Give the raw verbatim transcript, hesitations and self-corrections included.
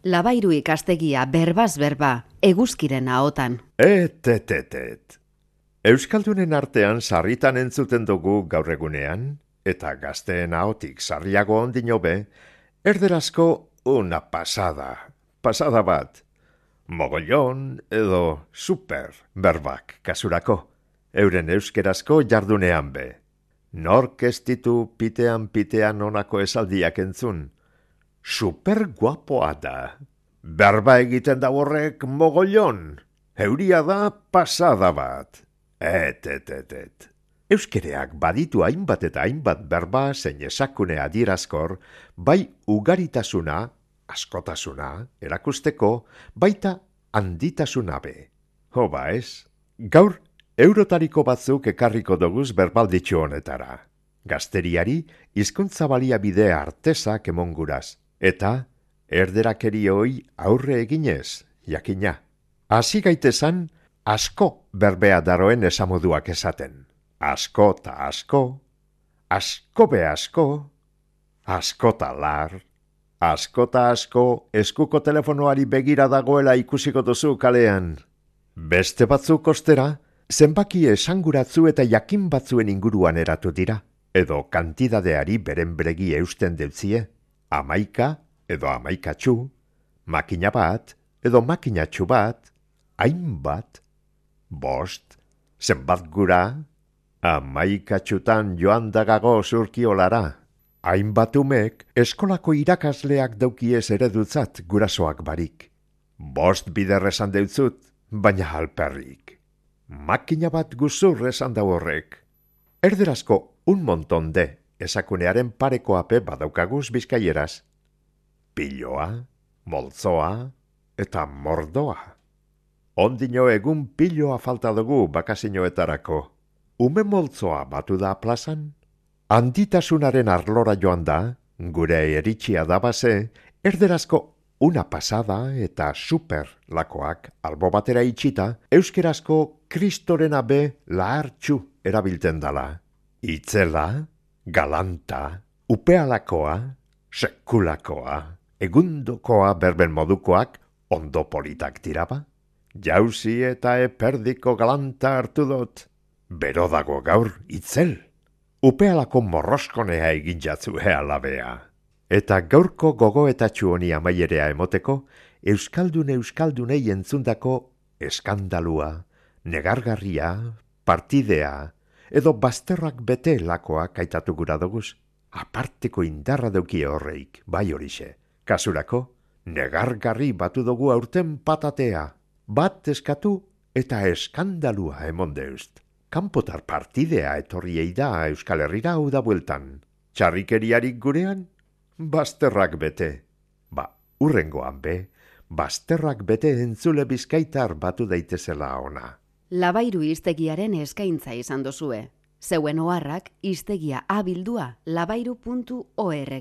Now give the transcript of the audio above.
Labairu ikastegia berbaz berba, eguzkiren ahotan. Et, et, et, et. Euskaldunen artean sarritan entzuten dugu gaur egunean, eta gazteen ahotik sarriago ondino be, erderazko una pasada, pasada bat. Mogollon edo super berbak kasurako, euren euskerazko jardunean be. Nork ez ditu pitean-pitean onako esaldiak entzun. Super guapoa da. Berba egiten da horrek mogollon. Euria da pasada bat. Et, et, et, et. Euskereak baditu hainbat eta hainbat berba zein esakune adierazkor, bai ugaritasuna, askotasuna, erakusteko, baita handitasuna be. Hoba ez, gaur eurotariko batzuk ekarriko doguz berbalditxu honetara. Gazteriari hizkuntza baliabide artesak emonguraz, eta erderakeri hoi aurre eginez, jakina. Hasi gaitezan, asko berbea daroen esamoduak esaten. Asko ta asko, asko be asko, asko ta lar, asko ta asko eskuko telefonoari begira dagoela ikusiko duzu kalean. Beste batzuk ostera, zenbaki esanguratzu eta jakin batzuen inguruan eratu dira, edo kantidadeari beren beregi eusten deutzie, amaika edo amaikatxu, makina bat edo makinatxu bat, hainbat, bost, zenbat gura, amaikatxutan joan dagago zurkiolara. Hainbat umek eskolako irakasleak daukiez eredutzat gurasoak barik. Bost bider esan deutzut, baina alperrik. Makina bat guzur esan da horrek. Erderazko un monton de esakunearen pareko ape badaukaguz bizkaieraz. Piloa, moltzoa eta mordoa. Ondino egun piloa falta dugu bakasinoetarako. Ume moltzoa batu da plazan? Handitasunaren arlora joan da, gure eritxia da base, erderazko una pasada eta super lakoak albo batera itxita, euskerazko kristorena be lahartxu erabilten dala. Itzela, galanta, upealakoa, sekulakoa, egundokoa berben modukoak ondo politak diraba. Jauzi eta eperdiko galanta hartu dut. Bero dago gaur itzel. Upealako morroskonea egin jatzu alabea. Eta gaurko gogoetatxu honi amaierea emoteko, euskaldun euskaldunei entzundako eskandalua, negargarria, partidea, edo bazterrak bete lakoak aitatu gura doguz. Aparteko indarra daukie horreik, bai horixe. Kasurako, negargarri batu dugu aurten patatea. Bat eskatu eta eskandalua emon deust. Kanpotar partidea etorriei da Euskal Herrira hau da bueltan. Txarrikeriarik gurean, bazterrak bete. Ba, urrengoan be, bazterrak bete entzule bizkaitar batu daitezela ona. Labairu hiztegiaren eskaintza izan dozue. Zeuen oharrak hiztegia abildua labairu puntu org.